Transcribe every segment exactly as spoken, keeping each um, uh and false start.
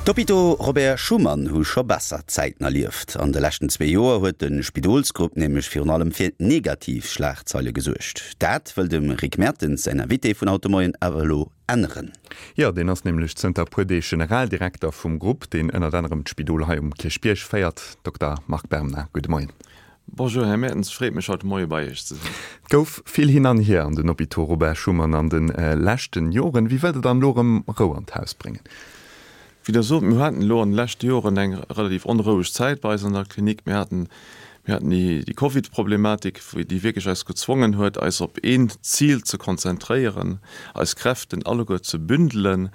D'Hôpitaux Robert Schuman hu scho besser Zäiten erlieft. An de leschten zwee Joer huet de Spidolsgrupp nämlech virun allem fir negativ Schlagzeile gesuergt. Dat wëll dem Rick Mertens säin Invité vun haut de Moien awer elo änneren. Jo, deen ass nämlech zënter puer Deeg Generaldirekter vum Grupp, deen ënnert anerem d'Spidol hei um Kierchbierg féiert. Dokter Marc Berna, gudde Moien. Bonjour Här Mertens, freet mech haut de Moie bei Iech ze sinn. Et gouf vill hin an hier an den Hôpitaux Robert Schuman an de leschten Joren. Wéi wëllt Der dann elo erëm Rou an d'Haus bréngen? Wéi Der sot, mir haten elo an de leschte Joren eng relativ onroueg Zäit bei eis an der Klinik. Mir haten, mir haten déi, déi Covid-Problematik, déi wierklech eis gezwongen huet, eis op een Zil ze konzentréieren, eis Kräften alleguer ze bündelen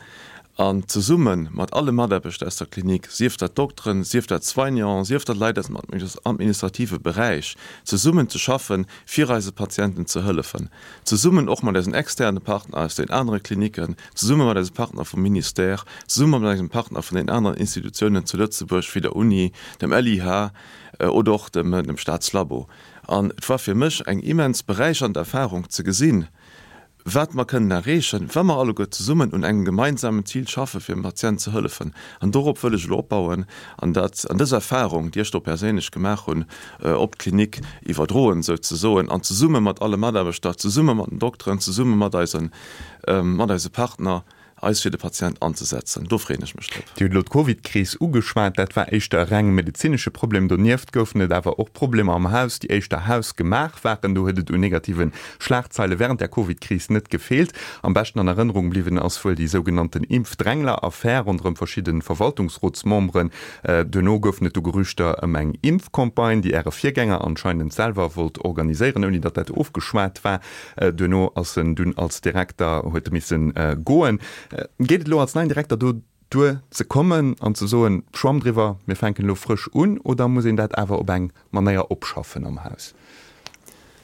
an zesumme mat alle Mataarbechter aus der Klinik, sief dat Dokteren, sief dat Soignanten, sief dat Leit aus dem administrative Beräich, zesummen ze schaffen, fir eise Patienten ze hëllefen. Zesummen och mat eisen externe Partner aus den anere Kliniken, zesumme mat eise Partner vum Ministère, zesumme mat eisem Partner vun den aneren Institutiounen zu Lëtzebuerg, wéi der Uni, dem L I H oder och dem, dem Staatslabo. An et war fir mech eng immens beräichernd Erfahrung ze gesinn, wat mer kënnen erreechen, wa mer alleguer zesummen un engem gemeinsamen Zil schaffen, fir dem Patient ze hëllefen. An dorop wëll ech elo opbauen an dat, an dës Erfahrung, déi ech do perséinlech gemaach hunn, op d'Klinik iwwerdroen souzesoen an zesumme mat alle Mataarbechter, zesumme mat den Dokteren, zesumme mat eisen, mat eise Partner, eis fir de Patient anzesetzen. Do freeën ech mech drop. Dir hutt elo d'Covidkris ugeschwat. Dat war éischter e reng medezinesche Problem. Donieft goufen et awer och Problemer am Haus, déi éischter hausgemaach waren. Do huet et un negative Schlagzeile wärend der Covidkris net gefeelt. Am beschten an Erënnerung bliwwen ass wuel déi sougenannten Impfdrängler-Affär ronderëm verschidde Verwaltungsrotsmemberen. Duerno goufen et du Gerüchter ëm eng Impfcampagne, déi Äre Virgänger anscheinend selwer wollt organiséieren, ouni datt dat ofgeschwat war. Duerno ass en dunn als Direkter, huet e misse goen. Geet et elo als neien Direkter do duer ze kommen an ze soen, Schwamm driwwer, mir fänken elo frësch un, oder muss een dat awer op eng Manéier opschaffen am Haus?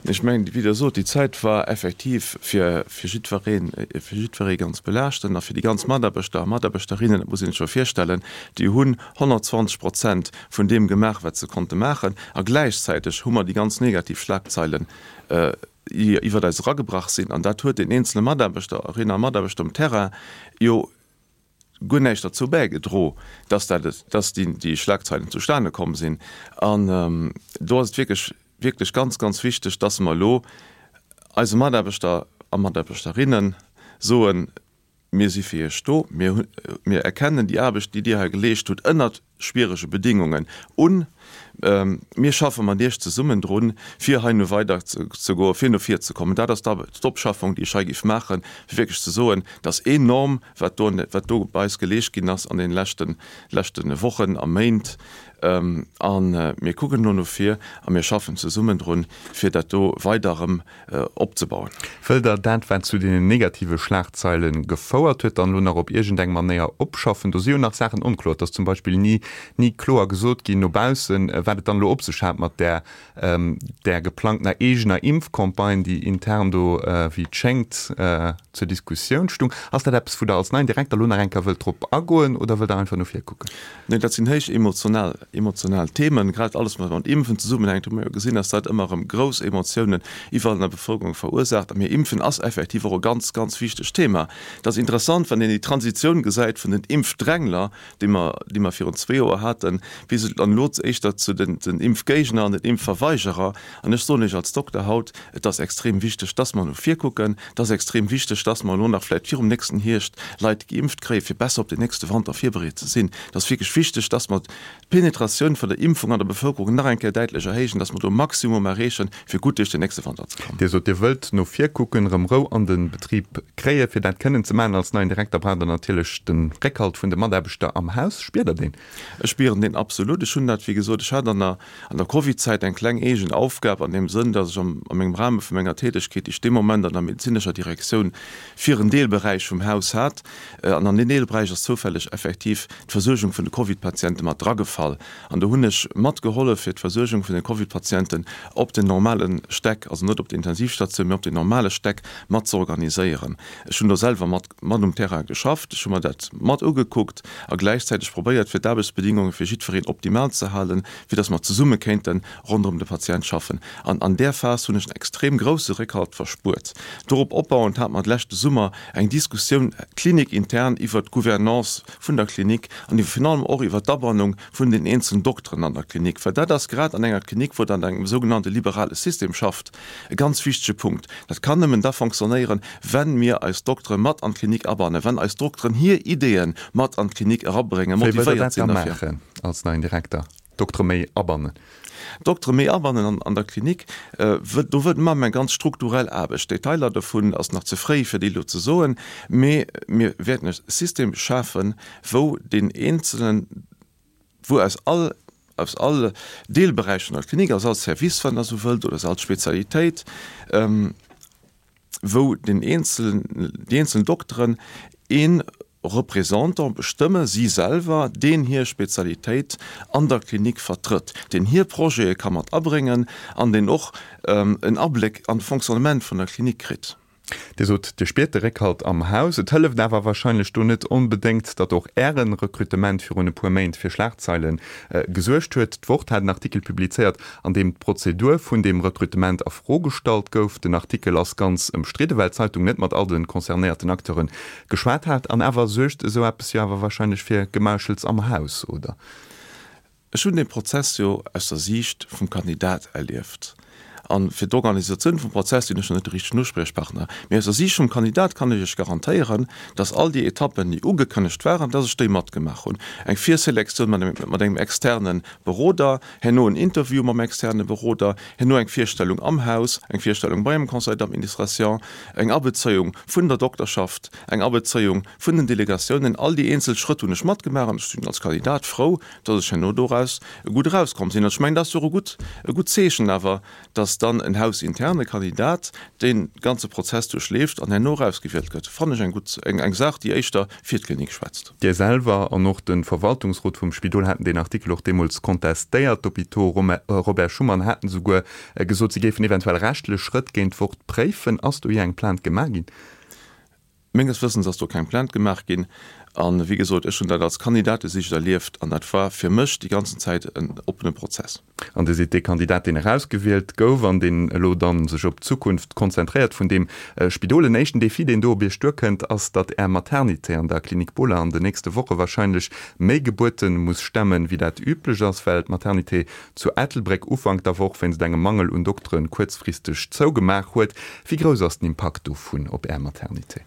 Ech mengen, wéi Der sot, déi Zäit war effektiv fir jiddweree, fir jiddweree ganz belaaschtend a fir déi ganz Mataarbechter a Mataarbechterinnen, dat muss een sech jo virstellen, déi hunn honnertzwanzeg Prozent vun deem gemaach, wat se konnte maachen a gläichzäiteg hu mer déi ganz negativ Schlagzeilen iwwert eis eragebrach sinn. An dat huet den eenzele Mataarbechterinnen a Mataarbechter um Terrain jo guer näischt derzou bäigedro, dass dat, dass déi, déi Schlagzeilen zustane komm sinn. An do ass et wierklech, wierklech ganz, ganz wichteg, dass mer elo eise Mataarbechter a Mataarbechterinnen soen, mir si fir Iech do, mir hu, mir erkennen déi Aarbecht, déi Dir hei geleescht hutt, ënnert schwierege Bedingungen un. Mir schaffe mat Iech zesummen drun, fir hei no weider ze goen, fir no vir ze kommen. Dat ass d'Opschaffung, déi ech hei géif maachen, fir wierklech ze soen, dass enorm, wat do, wat do bei eis geleescht ginn ass an deene leschten, leschte Wochen a Méint. A mir kucken elo no vir a mir schaffen zesummen drun, fir dat do weider erëm opzebauen. Wëllt Der dat, wat zu deenen negative Schlagzeile gefouert huet, dann elo nach op iergendeng Manéier opschaffen? Do si jo nach Saachen onkloer. Et ass zum Beispill ni, ni kloer gesot ginn no baussen, wat et dann elo op sech hat mat där, där geplangtener eegener Impfcampagne, déi intern do, wéi et schéngt, zur Diskussioun stung. Ass dat eppes, wou Der als neien Direkter elo nach eng Kéier wëllt drop agoen oder wëllt Der einfach no vir kucken? Nee, dat sinn héich emotional, emotional Themen, grad alles, wat mat Impfen zesummenhänkt, hu mir jo gesinn, dass dat ëmmer erëm grouss Emotiounen iwwerall an der Bevëlkerung verursaacht. A mir Impfen ass effektiv och e ganz, ganz wichtegt Thema. Et ass interessant, wann een déi Transitioun gesäit vun den Impfdrängler, déi mer, déi mer virun zwee Joer haten, bis et dann elo éischter zu den, den Impfgéigner an den Impfverweigerer. An ech soen lech als Dokter haut, et ass extrem wichteg, dass mer no vir kucken. Et ass extrem wichteg, dass mer elo nach vläicht virum nächsten Hierscht Leit geimpft kréien, fir besser op den nächste Wanter virbereet ze sinn. Et ass wierklech wichteg, dass mer d'Penetratioun vun der Impfung an der Bevëlkerung nach eng Kéier däitlech erhéijen, dass mer do e Maximum erreechen, fir gutt duerch den nächste Wanter ze kommen. Dir sot, Dir wëllt no vir kucken, erëm Rou an de Betrib kréien. Fir dat kënnen ze maachen als neien Direkter, braucht Der natierlech de Réckhalt vun de Mataarbechter am Haus. Spiert Der deen? Ech spieren deen absolut. Ech hunn dat, wéi gesot, ech hat an der, an der Covid-Zäit eng kleng eegen Aufgab an deem Sënn, dass ech am, a mengem Rahme vu menger Tätegkeet, déi ech dee Moment an der medezinescher Direktioun fir en Deelberäich vum Haus hat, an an deen Deelberäich ass zoufälleg effektiv d'Versuergung vun de Covid-Patiente mat dragefall. An do hunn ech matgehollef, fir d'Versuergung vun de Covid-Patienten op den normale Stäck, also net op der Intensivstatioun, mee op den normale Stäck mat ze organiséieren. Ech hunn do selwer mat, mat um Terrain geschafft, ech hu mer dat mat ugekuckt a gläichzäiteg probéiert, fir d'Aarbechtsbedingungen d'Aarbechtsbedingunge fir jiddwereen optimal ze halen, fir dass mer zesumme kéinte ronderëm de Patient schaffen. An an där Phas hunn ech en extrem grouse Réckhalt verspuert. Dorop opbauend hate mer leschte Summer eng Diskussioun klinikintern iwwert d'Gouvernance vun der Klinik an iwwer virun allem och iwwert d'Abannung vun den eenzelen Dokteren an der Klinik, well dat ass grad an enger Klinik, wou Der an engem sougenannte liberale System schafft, e ganz wichtege Punkt. Dat kann nëmmen da fonctionnéieren, wenn mir eis Doktere mat an d'Klinik abannen, wenn eis Dokteren hir Ideeë mat an d'Klinik erabréngen, Wéi wëllt Der motivéiert dat da sinn derfir. maachen als neien Direkter, d'Doktere méi abannen? D'Doktere méi abannen an der Klinik, do wëllt mer eng ganz strukturell Aarbecht. Detailer dovun ass nach ze fréi fir déi elo ze soen, mee mir wäerten e System schafen, wou deen eenzelen, wou aus all, aus all Deelberäich vun der Klinik, aus all Service, wann Der esou wëllt, oder aus all Spezialitéit, wou den eenzelen, déi eenzeln Dokteren ee Représentant bestëmme, si selwer, deen hir Spezialitéit an der Klinik vertrëtt, deen hir Projete ka mat abréngen an deen och en Abléck an d'Fonctionnement vun der Klinik kritt. Dir sot, Dir spiert de Réckhalt am Haus. Et hëlleft awer warscheinlech do net onbedéngt, datt och Äre Rekrutement virun e puer Méint fir Schlagzeile gesuergt huet. D'Wort hat en Artikel publizéiert, an deem d'Prozedur vun deem Rekrutement a Fro gestallt gouf. Den Artikel ass ganz ëmstridde, well d'Zeitung net mat all de concernéierten Acteure geschwat hat. An awer suergt esou eppes jo awer warscheinlech fir Gemauschels am Haus, oder? Ech hunn dee Prozess jo aus der Siicht vum Kandidat erlieft. A fir d'Organisatioun vum Prozess sinn ech jo net de richtegen Uspriechpartner. Mee aus der Siicht vum Kandidat kann ech Iech garantéieren, dass all déi Etappen, déi ugekënnegt waren, dass ech déi matgemaach hunn. Eng Virselektioun mat engem externe Beroder, herno en Interview mam externe Beroder, herno eng Virstellung am Haus, eng Virstellung beim Conseil d'administration, eng Abezéiung vun der Dokterschaft, eng Abezéiung vun den Delegatiounen. All déi eenzel Schrëtt hunn ech matgemaach an ech sinn als Kandidat frou, dass ech herno doraus gutt erauskomm sinn. An ech mengen, dat ass jo och e gutt, e gutt Zeechen awer, dass dann en hausinterne Kandidat dee ganze Prozess duerchleeft an herno erausgewielt gëtt, fannen ech eng gutt, eng, eng Saach, déi éischter fir d'Klinik schwätzt. Dir selwer an och de Verwaltungsrot vum Spidol haten deen Artikel och deemools contestéiert. D'Hôpitaux Robert Schuman haten esouguer gesot, si géifen eventuell rechtlech Schrëtt géint d'Wort préifen. Ass do jee eng Plainte gemaach ginn? Menges Wëssens ass do keng Plainte gemaach ginn. A wéi gesot, ech hunn dat als Kandidatesicht erlieft an dat war fir mech déi ganzen Zäit en oppene Prozess. An Dir sidd dee Kandidat, deen erausgewielt gouf an deen elo da sech op d'Zukunft konzentréiert vun deem Spidol. En éischten Defi, deen do op Iech duerkënnt, ass, datt Är Maternité an der Klinik Bohler an den nächste Woche warscheinlech méi Gebuerte muss stemmen, wéi dat üblech ass, well d'Maternité zu Ettelbréck Ufank der Woch wéinst engem Mangel un Doktere kuerzfristeg zougemaach huet. Wéi grouss ass den Impakt dovun op Är Maternité?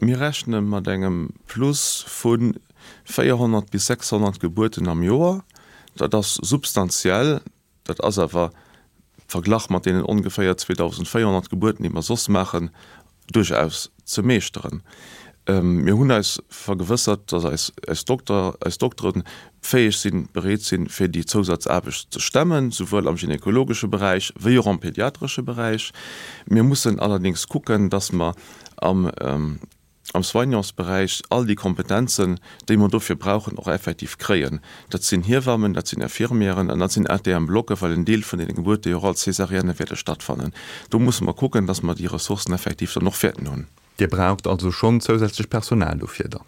Mir rechne mat engem Plus vu véierhonnert bis sechshonnert Gebuerten am Joer. Dat ass substantiell. Dat ass awer, verglach mat deenen ongeféier zweedausendvéierhonnert Gebuerten, déi mer soss maachen, duerchaus ze meeschteren. Mir hunn eis vergewëssert, datt eis eis Dokter, eis Dokteren fäeg sinn, bereet sinn, fir déi Zousazaarbecht ze stemmen, souwuel am gynekologesche Beräich wéi och am pediatresche Beräich. Mir mussen allerdéngs kucken, datt mer am am Soignantsberäich all déi Kompetenzen, déi mer dofir brauchen, och effektiv kréien. Dat sinn Hiewammen, dat sinn Infirmieren an dat sinn A T M-Blocke, well en Deel vun deene Gebuerte jo och als Césarienne wäerte stattfannen. Do musse mer kucken, dass mer déi Ressourcen effektiv dann och wäerten hunn. Dir braucht also schonn zousätzlech Personal dofir dann?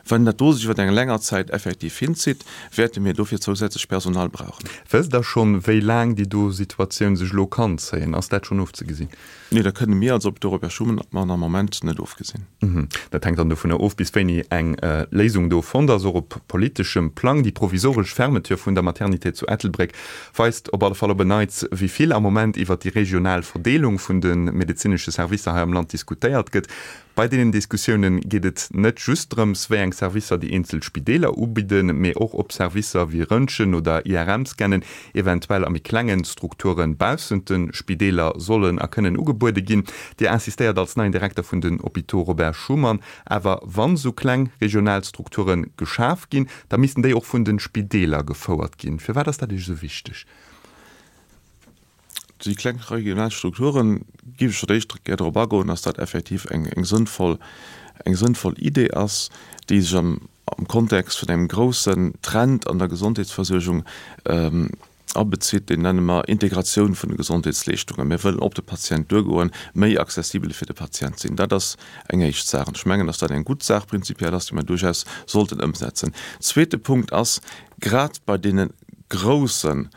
Wann dat do sech iwwer eng länger Zäit effektiv hinzitt, wäerte mir dofir zousätzlech Personal brauchen. Wësst Der schonn, wéi laang déi do Situatioun sech elo kann zéien? Ass dat schonn ofzegesinn? Nee, dat kënne mir als Hôpitaux Robert Schuman am Moment net ofgesinn. Dat hänkt dann dovunner of, bis wéini eng Léisung do fonnt ass, och op politeschem Plang. Déi provisoresch Fermeture vun der Maternité zu Ettelbréck weist op alle Fall op en Neits, wéi vill am Moment iwwer déi regional Verdeelung vun de medezinesche Servicer hei am Land diskutéiert gëtt. Bei deenen Diskussioune geet et net just drëms, wéi eng Servicer déi eenzel Spideeler ubidden, mee och ob Servicer wéi Röntgen oder I R M-Scannen eventuell a méi klengen Strukture baussent de Spideeler sollen a kënnen ugebuede ginn. Dir insistéiert als neien Direkter vun den Hôpitaux Robert Schuman awer, wann esou kleng regional Strukture geschaf ginn, da missten déi och vun de Spideeler gefouert ginn. Firwat ass dat Iech esou wichteg? Déi kleng regional Strukturen, géif ech fir d'éischt gär drop agoen, dass dat effektiv eng eng sënnvoll, eng sënnvoll Idee ass, déi sech am am Kontext vun engem groussen Trend an der Gesondheetsversuergung abezitt, deen nenne mer Integratioun vun de Gesondheetsleeschtungen. Mir wëllen op de Patient duergoen, méi accessibel fir de Patient sinn. Dat ass eng éischt Saach. An ech mengen, dass dat eng gutt Saach prinzipiell ass, déi mer duerchaus sollten ëmsetzen. Zweete Punkt ass, grad bei deene groussen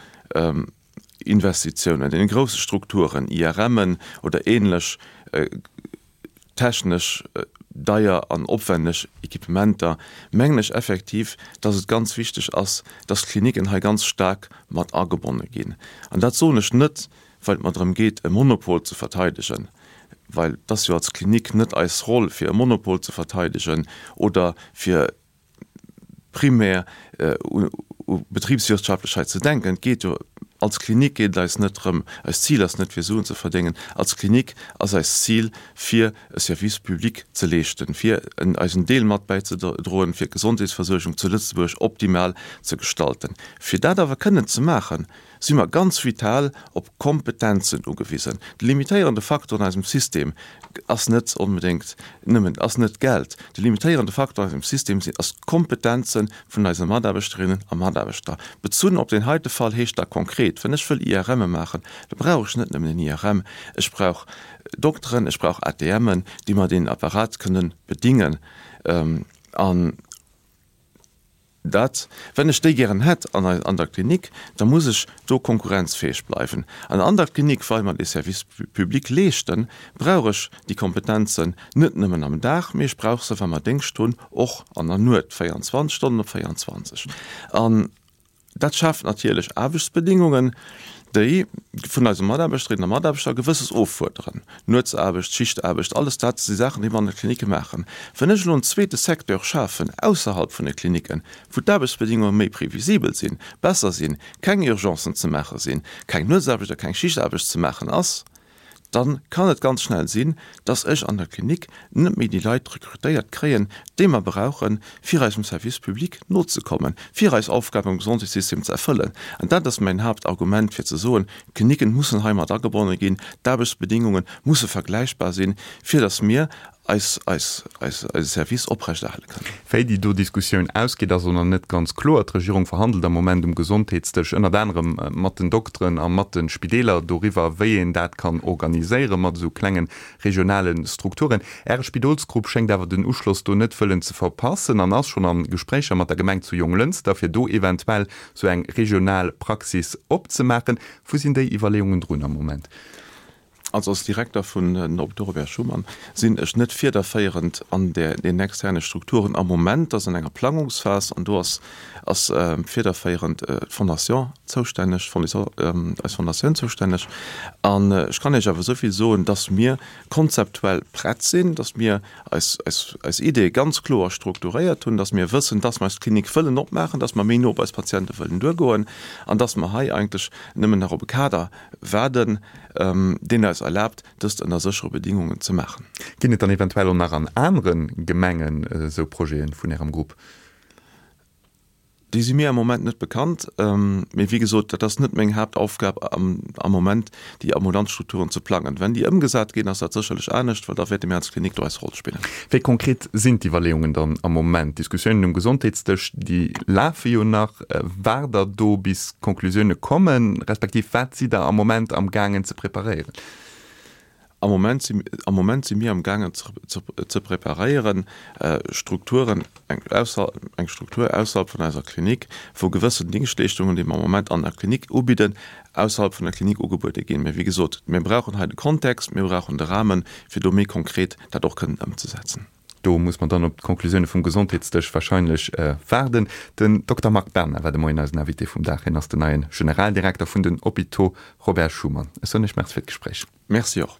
Investitiounen, deene grousse Strukturen, IRMen oder ähnlech technesch deier an opwenneg Equipementer, mengen ech effektiv, dass et ganz wichteg ass, dass d'Kliniken hei ganz staark mat agebonne ginn. An dat soen ech net, well et mer drëm geet, e Monopol ze verteidegen, well et ass jo als Klinik net eis Roll, fir e Monopol ze verteidegen oder fir primär u Betriebswirtschaftlichkeit ze denken. Et geet jo, als Klinik geet et eis net drëm, eist Zil ass net fir Suen ze verdéngen, als Klinik ass eist Zil fir e Service public ze leeschten, fir eisen Deel mat bäizedroen, fir d'Gesondheetsversuergung zu Lëtzebuerg optimal ze gestalten. Fir dat awer kënnen ze maachen, si mer ganz vital op Kompetenzen ugewisen. De limitéierende Faktor an eisem System ass net onbedéngt nëmmen, ass net d'Geld. De limitéierende Faktor an eisem System sinn, ass d'Kompetenze vun eise Mataarbechterinnen a Mataarbechter. Bezunn op deen heite Fall heescht dat konkret, Wann ech wëll IRMe maachen, da brauch ech net nëmmen en I R M, ech brauch Dokteren, ech brauch A T Mën, déi mer deen Apparat kënnen bedingen. An dat, wenn ech déi gären hätt an an der Klinik, da muss ech do konkurrenzfäeg bleiwen. An an der Klinik, well mer dee Service public leeschten, brauch ech déi Kompetenzen net nëmmen am Dag, mee ech brauch se, wa mer Déngscht hunn, och an der Nuet, véierundzwanzeg Stonnen op véierundzwanzeg. An dat schaaft natierlech Aarbechtsbedingungen, déi vun eise Mataarbechterinnen a Mataarbechter Gewësses offuerderen, Nuetsaarbecht, Schichtaarbecht, alles dat si Saachen, déi mer an de Klinicke maachen. Wann ech elo en zweete Secteur schafen ausserhalb vun de Klinicken, wou d'Aarbechtsbedingunge méi previsibel sinn, besser sinn, keng Urgencen ze maache sinn, keng Nuetsaarbecht a keng Schichtaarbecht ze maachen ass, dann kann et ganz schnell sinn, dass ech an der Klinik net méi déi Leit rekrutéiert kréien, déi mer brauchen, fir eisem Service public nozekommen, fir eis Aufgaben am Gesondheetssystem ze erfëllen. An dat ass mäin Haaptargument, fir ze soen, D'Kliniken mussen hei mat agebonne ginn, d'Aarbechtsbedingunge musse vergläichbar sinn, fir dass mir eis, eis, eis, eise Service oprechterhale kënnen. Wéi déi do Diskussioun ausgeet, ass och nach net ganz kloer. D'Regierung verhandelt am Moment um Gesondheetsdësch ënnert anerem mat den Dokteren a mat de Spideeler doriwwer, wéi een dat kann organiséiere mat esou klenge regionale Strukturen. Äre Spidolsgrupp schéngt awer den Uschloss do net wëllen ze verpassen an ass schonn a Gespréicher mat der Gemeng zu Jonglënster, fir do eventuell esou eng regional Praxis opzemaachen. Wou sinn déi Iwwerleeungen drun am Moment? Also als Direkter vun den Hôpitaux Robert Schuman sinn ech net fiederféierend an der den externe Strukturen am Moment, dat ass an enger Plangungsphas an do ass ass fiederféierend d'Fondation zoustänneg, eis Fondatioun zoustänneg. An ech kann Iech awer esou vill soen, dass mir konzeptuell prett sinn, dass mir eis eis eis Ideeë ganz kloer strukturéiert hunn, dass mir wëssen, dass mer eis Klinik wëllen opmaachen, dass mer méi no op eis Patiente wëllen duergoen an dass mer hei eigentlech nëmmen nach op e Kader waarden, deen eis erlaabt, dëst ënner séchere Bedingungen ze maachen. Ginn et dann eventuell och nach an anere Gemengen esou Projete vun Ärem Grupp? Déi si mir am Moment net bekannt. Mee wéi gesot, dat ass net meng Haaptaufgab am Moment, déi ambulant Strukturen ze plangen. Wenn déi ëmgesat ginn, ass dat sécherlech anescht, well da wäerte mir als Klinik do eis Roll spillen. Wéi konkret sinn d'Iwwerleeungen dann am Moment? D'Diskussiounen um Gesondheetsdësch, déi lafe jo nach. Waart Der do bis Konklusioune kommen, respektiv wat sidd Der am Moment am gaangen ze preparéieren? Am Moment si, am Moment si mir am gaangen ze, ze preparéieren, Strukturen, eng ausser, eng Struktur ausserhalb vun eiser Klinik, wou gewëssen Dingschtleeschtungen, déi mer am Moment an der Klinik ubidden, ausserhalb vun der Klinik ugebuede ginn. Mä wéi gesot, mir brauchen hei de Kontext, mir brauchen de Rahmen, fir do méi konkret dat och kënnen ëmzesetzen. Do muss mer dann op d'Konklusioune vum Gesondheetsdësch wahrscheinlech waarden. Den Dokter Marc Berna war de Moien eisen Invité vum Dag. Hien ass den neie Generaldirekter vun den Hôpitaux Robert Schuman. Ech soen Iech Merci fir d'Gespréich. Merci och.